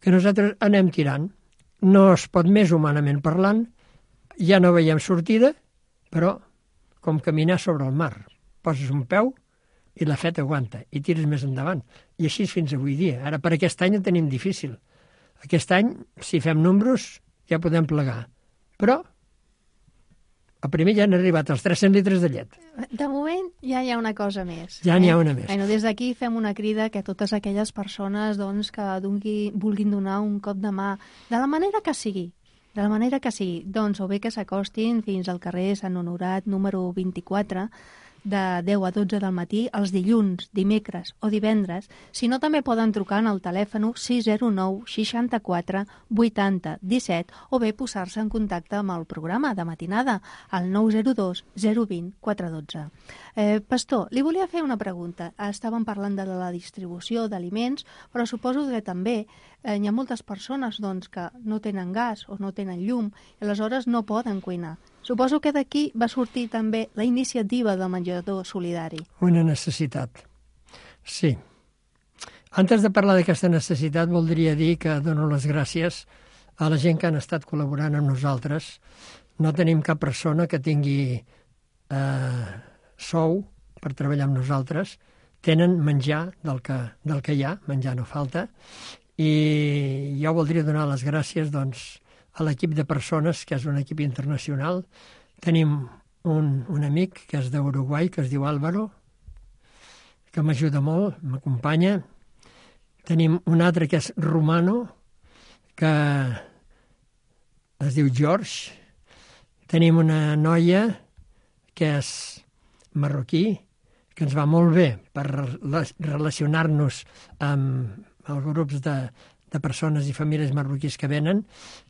que nosaltres anem tirant. No es pot més humanament parlant, ja no veiem sortida, però com caminar sobre el mar. Poses un peu i la fe t'aguanta i tires més endavant. I així fins avui dia. Ara per aquest any ho tenim difícil. Aquest any, si fem números, ja podem plegar. Però el primer ja han arribat els 300 litres de llet. De moment ja hi ha una cosa més. Ja n'hi ha una més. Bueno, des d'aquí fem una crida que totes aquelles persones doncs, que vulguin donar un cop de mà, de la manera que sigui, doncs o bé que s'acostin fins al carrer Sant Honorat número 24, de 10 a 12 del matí, els dilluns, dimecres o divendres, sinó també poden trucar al telèfon 609 64 80 17 o bé posar-se en contacte amb el programa de matinada al 902 020 412. Pastor, li volia fer una pregunta. Estàvem parlant de la distribució d'aliments, però suposo que també hi ha moltes persones doncs, que no tenen gas o no tenen llum i aleshores no poden cuinar. Suposo que d'aquí va sortir també la iniciativa del menjador solidari. Una necessitat, sí. Antes de parlar d'aquesta necessitat, voldria dir que dono les gràcies a la gent que han estat col·laborant amb nosaltres. No tenim cap persona que tingui sou per treballar amb nosaltres. Tenen menjar del que hi ha, menjar no falta, i jo voldria donar les gràcies, doncs, a l'equip de persones, que és un equip internacional. Tenim un amic que és d'Uruguai, que es diu Álvaro, que m'ajuda molt, m'acompanya. Tenim un altre que és romano, que es diu George. Tenim una noia que és marroquí, que ens va molt bé per relacionar-nos amb els grups de persones i famílies marroquís que venen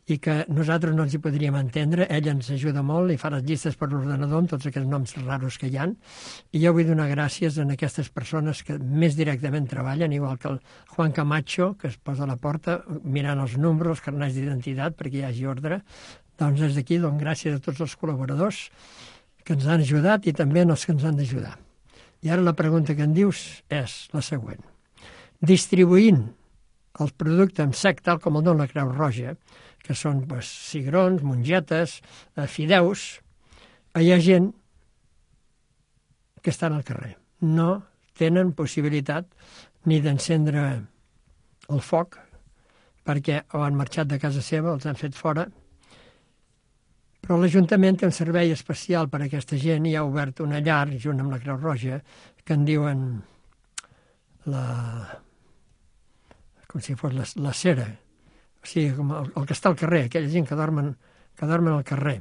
i que nosaltres no ens hi podríem entendre. Ell ens ajuda molt i fa les llistes per l'ordenador amb tots aquests noms raros que hi ha. I jo vull donar gràcies a aquestes persones que més directament treballen, igual que el Juan Camacho, que es posa a la porta mirant els números, els carnets d'identitat, perquè hi hagi ordre. Doncs des d'aquí dono gràcies a tots els col·laboradors que ens han ajudat i també als que ens han d'ajudar. I ara la pregunta que em dius és la següent. Distribuint el producte en sec, tal com el dona la Creu Roja, que són cigrons, mongetes, fideus, hi ha gent que estan al carrer. No tenen possibilitat ni d'encendre el foc, perquè o han marxat de casa seva, els han fet fora, però l'Ajuntament té un servei especial per a aquesta gent i ha obert una llar, junt amb la Creu Roja, que en diuen com si fos la cera, o sigui, com el que està al carrer, aquella gent que dormen al carrer.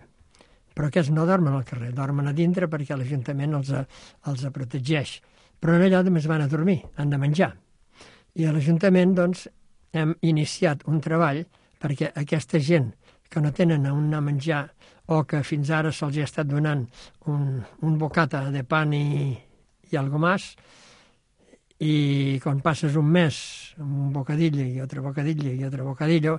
Però aquests no dormen al carrer, dormen a dintre perquè l'Ajuntament els protegeix. Però allà només van a dormir, han de menjar. I a l'Ajuntament, doncs, hem iniciat un treball perquè aquesta gent que no tenen on anar a menjar o que fins ara se'ls ha estat donant un bocata de pan i algo más, i quan passes un mes amb un bocadillo i altre bocadillo i altre bocadillo,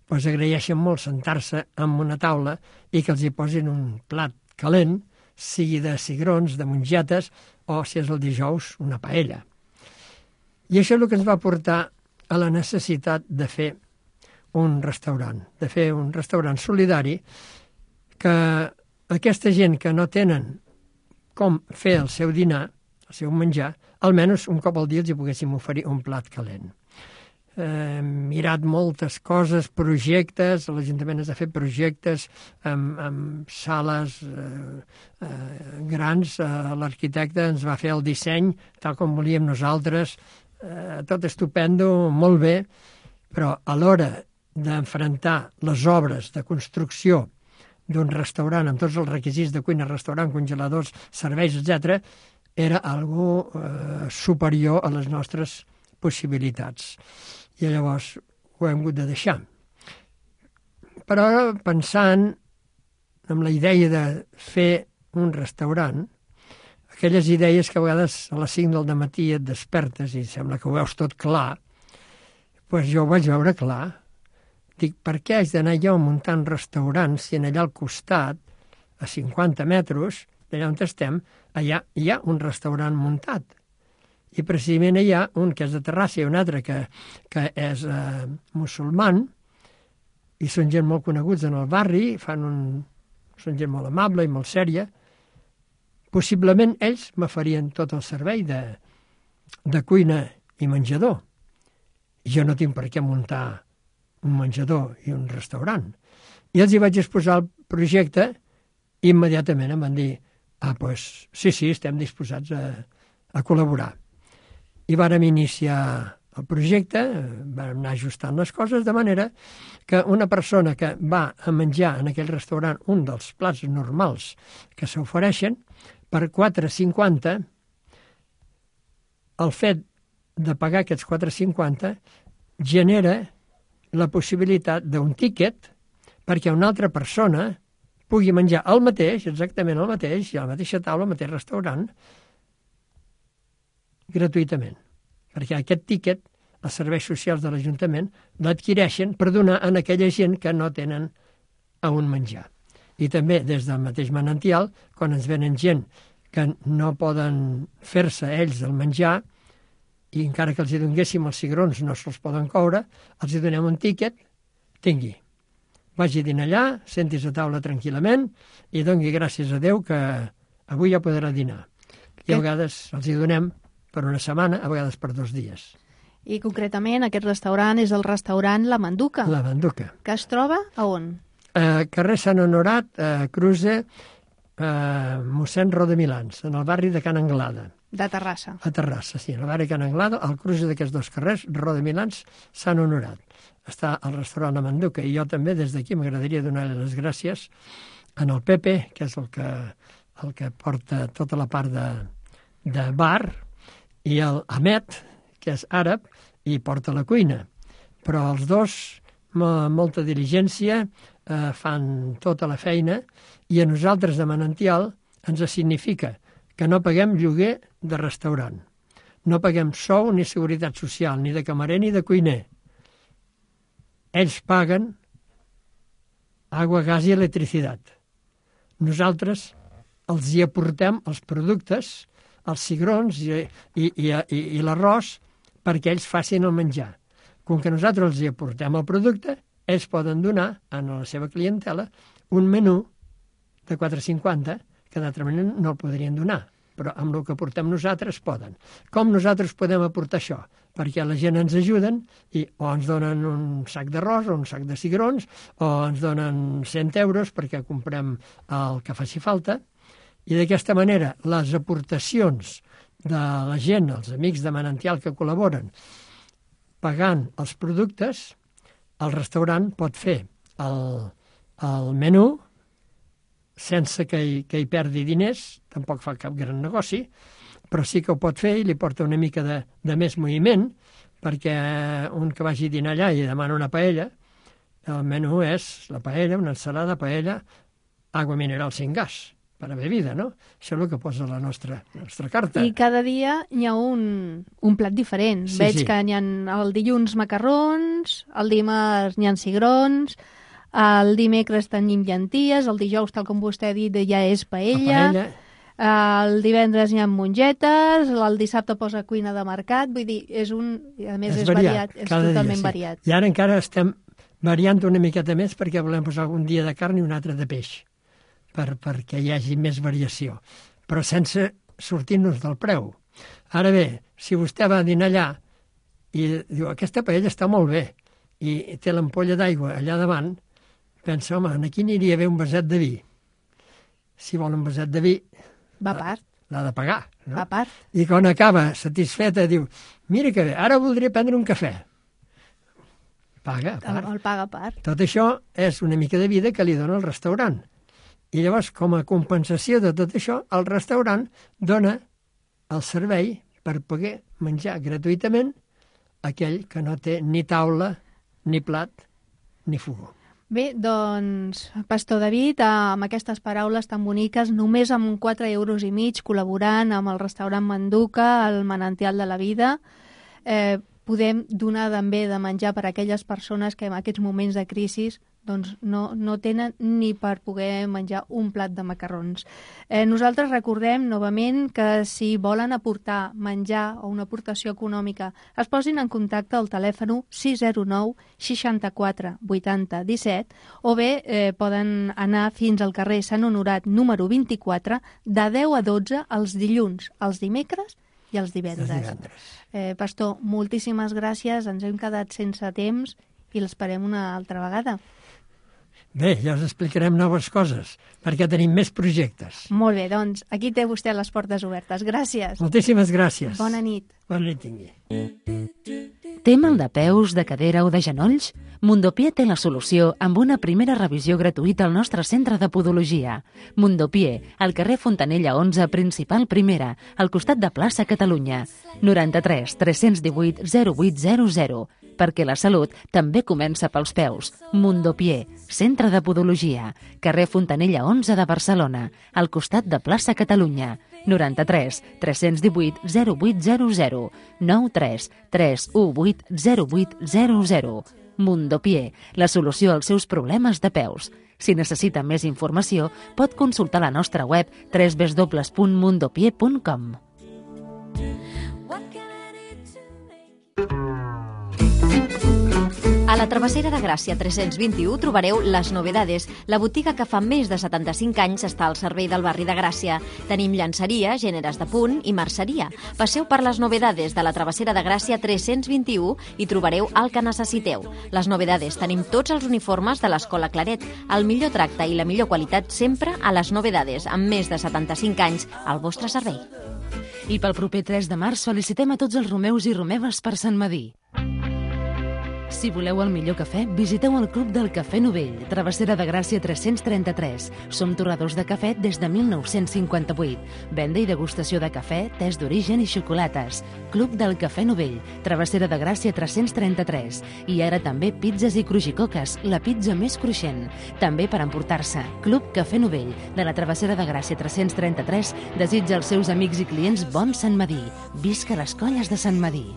doncs agraeixen molt sentar-se en una taula i que els hi posin un plat calent, sigui de cigrons, de mongetes, o, si és el dijous, una paella. I això és el que ens va portar a la necessitat de fer un restaurant solidari, que aquesta gent que no tenen com fer el seu dinar, seu menjar, almenys un cop al dia els hi poguéssim oferir un plat calent. Mirat moltes coses, projectes, l'Ajuntament ens ha fet projectes amb sales grans, l'arquitecte ens va fer el disseny tal com volíem nosaltres, tot estupendo, molt bé, però a l'hora d'enfrontar les obres de construcció d'un restaurant amb tots els requisits de cuina, restaurant, congeladors, serveis, etc., era algo superior a les nostres possibilitats. I llavors ho hem hagut de deixar. Però pensant en la idea de fer un restaurant, aquelles idees que a vegades a les 5 del dematí et despertes i sembla que ho veus tot clar, doncs jo ho vaig veure clar. Dic, per què haig d'anar jo muntant restaurants si allà al costat, a 50 metres d'allà on estem, allà hi ha un restaurant muntat? I precisament hi ha un que és de Terrassa i un altre que és musulman, i són gent molt coneguts en el barri, són gent molt amable i molt sèria. Possiblement ells me farien tot el servei de cuina i menjador. I jo no tinc per què muntar un menjador i un restaurant. I els hi vaig exposar el projecte i immediatament em van dir doncs sí, estem disposats a col·laborar. I vàrem iniciar el projecte, vam anar ajustant les coses de manera que una persona que va a menjar en aquell restaurant un dels plats normals que s'ofereixen, per 4,50, el fet de pagar aquests 4,50 genera la possibilitat d'un tíquet perquè una altra persona pugui menjar el mateix, exactament el mateix, i a la mateixa taula, al mateix restaurant, gratuïtament. Perquè aquest tíquet, els serveis socials de l'Ajuntament l'adquireixen per donar a aquella gent que no tenen a on menjar. I també des del mateix Manantial, quan ens venen gent que no poden fer-se ells el menjar, i encara que els hi donguéssim els cigrons no se'ls poden coure, els hi donem un tíquet, tingui. Vagi a dinar allà, sentis a taula tranquil·lament i doni gràcies a Déu que avui ja podrà dinar. I a vegades els hi donem per una setmana, a vegades per 2 dies. I concretament aquest restaurant és el restaurant La Manduca. La Manduca. Que es troba a on? Carrer Sant Honorat, Cruze, mossèn Rodemilans, en el barri de Can Anglada. De Terrassa. A Terrassa, sí, en el barri de Can Anglada, al cruce d'aquests 2 carrers, Rodemilans, Sant Honorat. Està el restaurant La Manduca, i jo també des d'aquí m'agradaria donar les gràcies en el Pepe, que és el que porta tota la part de bar, i el Ahmed, que és àrab, i porta la cuina. Però els dos, molta diligència, fan tota la feina, i a nosaltres de Manantial ens significa que no paguem lloguer de restaurant. No paguem sou ni seguretat social, ni de camarer ni de cuiner. Ells paguen aigua, gas i electricitat. Nosaltres els hi aportem els productes, els cigrons i l'arròs perquè ells facin el menjar. Com que nosaltres els hi aportem el producte, ells poden donar a la seva clientela un menú de 4,50 que d'altra manera no el podrien donar, però amb el que aportem nosaltres poden. Com nosaltres podem aportar això? Perquè la gent ens ajuden i o ens donen un sac d'arròs o un sac de cigrons o ens donen 100 euros perquè comprem el que faci falta. I d'aquesta manera les aportacions de la gent, els amics de Manantial que col·laboren, pagant els productes, el restaurant pot fer el menú sense que hi perdi diners, tampoc fa cap gran negoci, però sí que ho pot fer i li porta una mica de més moviment, perquè un que vagi a dinar allà i demana una paella, el menú és la paella, una ensalada, paella, aigua mineral sin gas, per a bebida, no? Això és el que posa la nostra carta. I cada dia hi ha un plat diferent. Sí, Veig sí. que hi ha el dilluns macarrons, el dimarts hi ha cigrons, el dimecres tenim llenties, el dijous, tal com vostè ha dit, ja és paella. El divendres hi ha mongetes, el dissabte posa cuina de mercat, vull dir, a més és variat, és totalment dia, sí. variat. I ara encara estem variant una miqueta més perquè volem posar un dia de carn i un altre de peix, perquè hi hagi més variació, però sense sortir-nos del preu. Ara bé, si vostè va a dinar allà i diu, aquesta paella està molt bé, i té l'ampolla d'aigua allà davant, pensa, home, aquí aniria bé un vaset de vi. Si vol un vaset de vi, Va a part. l'ha de pagar. No? Va a part. I quan acaba satisfeta diu, mira que bé, ara voldria prendre un cafè. Paga a part. El paga a part. Tot això és una mica de vida que li dona el restaurant. I llavors, com a compensació de tot això, el restaurant dona el servei per poder menjar gratuïtament aquell que no té ni taula, ni plat, ni fogó. Bé, doncs, Pastor David, amb aquestes paraules tan boniques, només amb 4,5 euros col·laborant amb el restaurant Manduca, el Manantial de la Vida, podem donar també de menjar per a aquelles persones que en aquests moments de crisi doncs no tenen ni per poder menjar un plat de macarrons. Nosaltres recordem novament que si volen aportar menjar o una aportació econòmica es posin en contacte al telèfon 609 64 80 17 o bé poden anar fins al carrer Sant Honorat número 24 de 10 a 12 els dilluns, els dimecres i els divendres. Pastor, moltíssimes gràcies, ens hem quedat sense temps i l'esperem una altra vegada. Bé, ja us explicarem noves coses, perquè tenim més projectes. Molt bé, doncs aquí té vostè les portes obertes. Gràcies. Moltíssimes gràcies. Bona nit. Bona nit tingui. Té mal de peus, de cadera o de genolls? Mundopié té la solució amb una primera revisió gratuïta al nostre centre de podologia. Mundopié, al carrer Fontanella 11, principal primera, al costat de plaça Catalunya. 93 318 0800. Perquè la salut també comença pels peus. Mundopié, centre de podologia, carrer Fontanella 11 de Barcelona, al costat de plaça Catalunya. 93 318 0800 93 318 0800. Mundopié, la solució als seus problemes de peus. Si necessita més informació, pot consultar la nostra web www.mundopié.com. A la Travessera de Gràcia 321 trobareu Les Novedades, la botiga que fa més de 75 anys està al servei del barri de Gràcia. Tenim llançeria, gèneres de punt i merceria. Passeu per Les Novedades de la Travessera de Gràcia 321 i trobareu el que necessiteu. Les Novedades, tenim tots els uniformes de l'Escola Claret. El millor tracte i la millor qualitat sempre a Les Novedades, amb més de 75 anys al vostre servei. I pel proper 3 de març felicitem a tots els romeus i romeves per Sant Medir. Si voleu el millor cafè, visiteu el Club del Cafè Novell, Travessera de Gràcia 333. Som torradors de cafè des de 1958. Venda i degustació de cafè, tés d'origen i xocolates. Club del Cafè Novell, Travessera de Gràcia 333. I ara també pizzas i crujicoques, la pizza més cruixent. També per emportar-se. Club Cafè Novell, de la Travessera de Gràcia 333, desitja als seus amics i clients bon Sant Medir. Visca les colles de Sant Medir.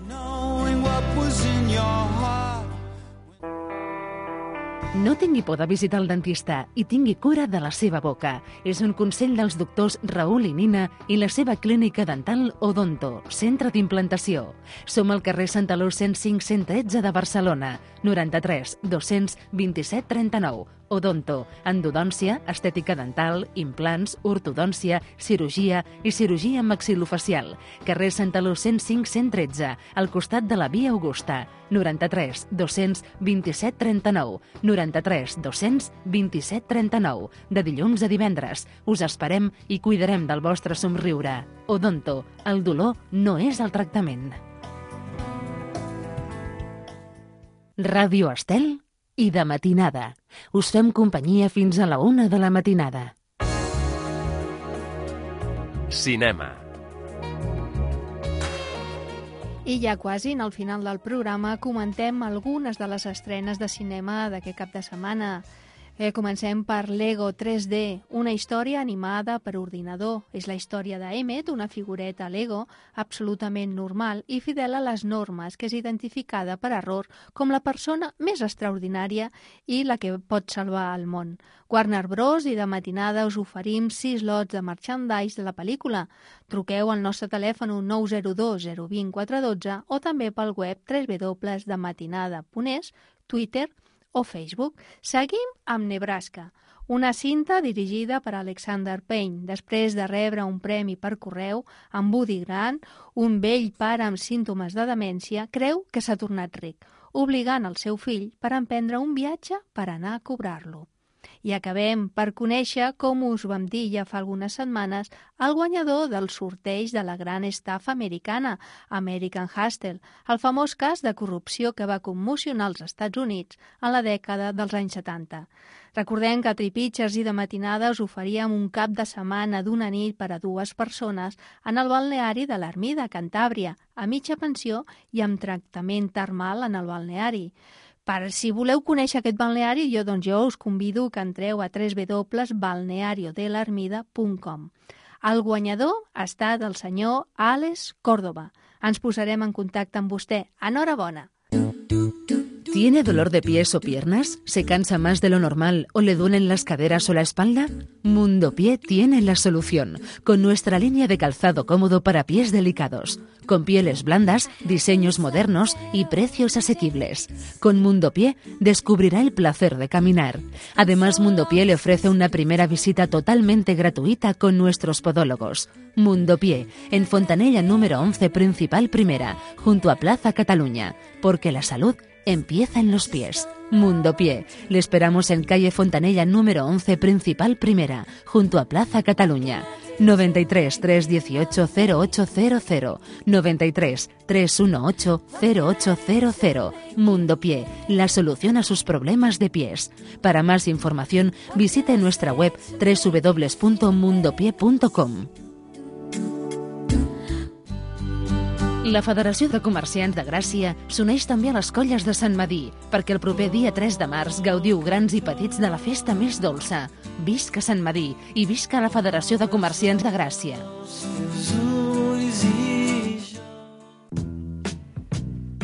No tingui por de visitar el dentista i tingui cura de la seva boca. És un consell dels doctors Raül i Nina i la seva clínica dental Odonto, centre d'implantació. Som al carrer Santaló 105-113 de Barcelona, 93 227 39. Odonto, endodòncia, estètica dental, implants, ortodòncia, cirurgia i cirurgia maxil·lofacial. Carrer Santaló 105-113, al costat de la Via Augusta. 93 227 39. 93 227 39. De dilluns a divendres. Us esperem i cuidarem del vostre somriure. Odonto, el dolor no és el tractament. Ràdio Estel i de matinada. Us fem companyia fins a la 1 de la matinada. Cinema. I ja quasi, al final del programa, comentem algunes de les estrenes de cinema d'aquest cap de setmana. Comencem per Lego 3D, una història animada per ordinador. És la història d'Emmet, una figureta Lego absolutament normal i fidel a les normes, que és identificada per error com la persona més extraordinària i la que pot salvar el món. Warner Bros. I de matinada us oferim 6 lots de merchandise de la pel·lícula. Truqueu al nostre telèfon 902 020 412 o també pel web www.dematinada.es, Twitter o Facebook. Seguim amb Nebraska, una cinta dirigida per Alexander Payne, després de rebre un premi per correu, en Woody Grant, un vell pare amb símptomes de demència, creu que s'ha tornat ric, obligant el seu fill per emprendre un viatge per anar a cobrar-lo. I acabem per conèixer, com us vam dir ja fa algunes setmanes, el guanyador del sorteig de la gran estafa americana, American Hustle, el famós cas de corrupció que va commocionar els Estats Units en la dècada dels anys 70. Recordem que a Tripitxers i de matinada us oferíem un cap de setmana d'una nit per a 2 persones en el balneari de l'Ermida, Cantàbria, a mitja pensió i amb tractament termal en el balneari. Si voleu conèixer aquest balneari, jo us convido que entreu a www.balneariodelermida.com. El guanyador ha estat el senyor Àlex Córdoba. Ens posarem en contacte amb vostè. Enhorabona! ¿Tiene dolor de pies o piernas? ¿Se cansa más de lo normal o le duelen las caderas o la espalda? Mundo Pie tiene la solución, con nuestra línea de calzado cómodo para pies delicados, con pieles blandas, diseños modernos y precios asequibles. Con Mundo Pie descubrirá el placer de caminar. Además, Mundo Pie le ofrece una primera visita totalmente gratuita con nuestros podólogos. Mundo Pie, en Fontanella número 11, Principal Primera, junto a Plaza Cataluña, porque la salud empieza en los pies. Mundo Pie. Le esperamos en calle Fontanella número 11, Principal Primera, junto a Plaza Cataluña. 93 318 0800 93 318 0800. Mundo Pie, la solución a sus problemas de pies. Para más información, visite nuestra web www.mundopie.com. La Federació de Comerciants de Gràcia s'uneix també a les colles de Sant Medir, perquè el proper dia 3 de març gaudiu grans i petits de la festa més dolça. Visca Sant Medir i visca la Federació de Comerciants de Gràcia.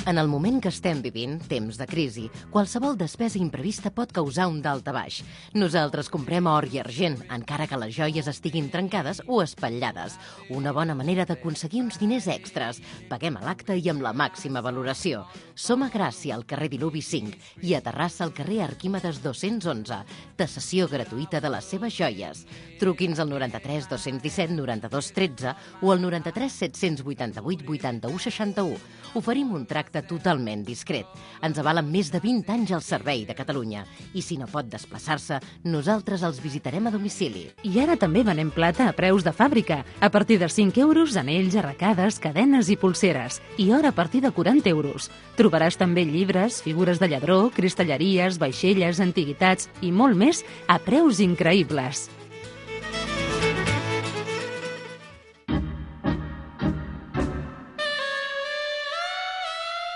En el moment que estem vivint, temps de crisi, qualsevol despesa imprevista pot causar un daltabaix. Nosaltres comprem or i argent, encara que les joies estiguin trencades o espatllades. Una bona manera d'aconseguir uns diners extras. Paguem a l'acte i amb la màxima valoració. Som a Gràcia, al carrer Diluvi 5, i a Terrassa, al carrer Arquímedes 211. Tasació gratuïta de les seves joies. Truqui'ns al 93 217 92 13 o al 93 788 81 61. Oferim un tracte totalment discret. Ens avalen més de 20 anys al servei de Catalunya. I si no pot desplaçar-se, nosaltres els visitarem a domicili. I ara també venem plata a preus de fàbrica. A partir de 5 euros, anells, arracades, cadenes i pulseres. I or a partir de 40 euros. Trobaràs també llibres, figures de lladró, cristalleries, vaixelles, antiguitats i molt més a preus increïbles.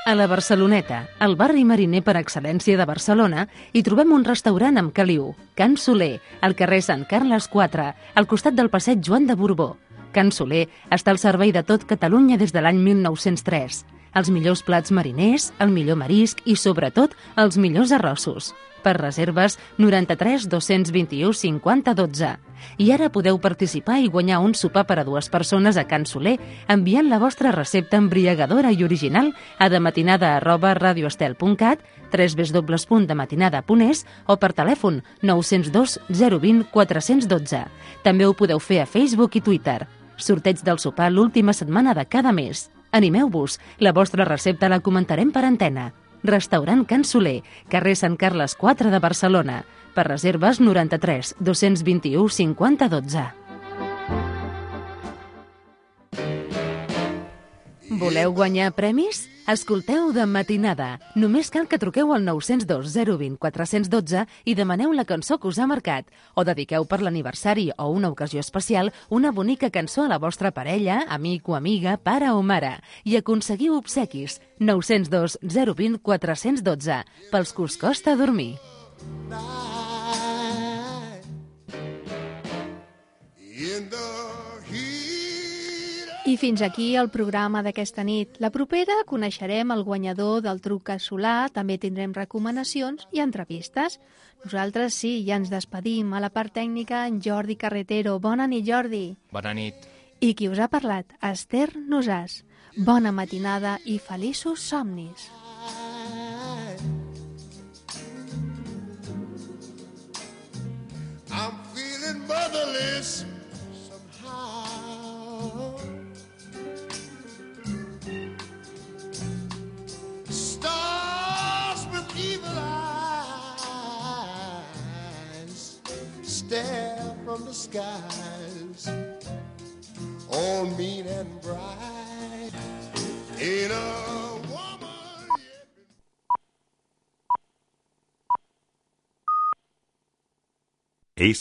A la Barceloneta, el barri mariner per excel·lència de Barcelona, hi trobem un restaurant amb caliu, Can Soler, al carrer Sant Carles 4, al costat del passeig Joan de Borbó. Can Soler està al servei de tot Catalunya des de l'any 1903. Els millors plats mariners, el millor marisc i, sobretot, els millors arrossos. Per reserves, 93 221 50 12. I ara podeu participar i guanyar un sopar per a 2 persones a Can Soler enviant la vostra recepta embriagadora i original a dematinada@radioestel.cat, www.dematinada.es o per telèfon 902 020 412. També ho podeu fer a Facebook i Twitter. Sorteig del sopar l'última setmana de cada mes. Animeu-vos, la vostra recepta la comentarem per antena. Restaurant Can Soler, carrer Sant Carles 4 de Barcelona. Per reserves 93 221 50 12. Voleu guanyar premis? Escolteu De Matinada. Només cal que truqueu al 902 020 412 i demaneu la cançó que us ha marcat. O dediqueu per l'aniversari o una ocasió especial una bonica cançó a la vostra parella, amic o amiga, pare o mare. I aconseguiu obsequis. 902 020 412. Pels que us costa dormir. I fins aquí el programa d'aquesta nit. La propera coneixerem el guanyador del truc casolà, també tindrem recomanacions i entrevistes. Nosaltres sí, ja ens despedim. A la part tècnica, en Jordi Carretero. Bona nit, Jordi. Bona nit. I qui us ha parlat? Esther Nosàs. Bona matinada i feliços somnis. careless somehow. Stars with evil eyes stare from the skies, all mean and bright. In a